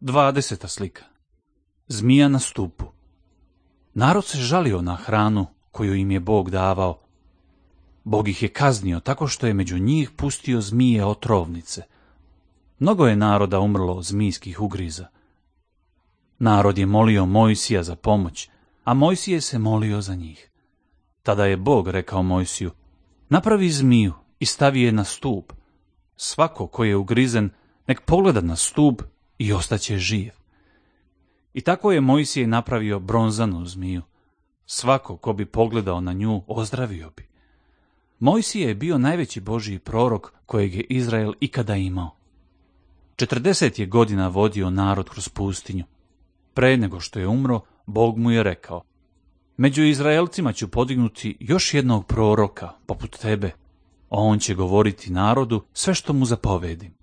20. slika. Zmija na stupu. Narod se žalio na hranu koju im je Bog davao. Bog ih je kaznio tako što je među njih pustio zmije otrovnice. Mnogo je naroda umrlo od zmijskih ugriza. Narod je molio Mojsija za pomoć, a Mojsije se molio za njih. Tada je Bog rekao Mojsiju: napravi zmiju i stavi je na stup. Svako ko je ugrizen, nek pogleda na stup i ostaće živ. I tako je Mojsije napravio bronzanu zmiju. Svako ko bi pogledao na nju, ozdravio bi. Mojsije je bio najveći Božji prorok kojeg je Izrael ikada imao. 40 je godina vodio narod kroz pustinju. Pre nego što je umro, Bog mu je rekao: među Izraelcima ću podignuti još jednog proroka poput tebe. On će govoriti narodu sve što mu zapovedim.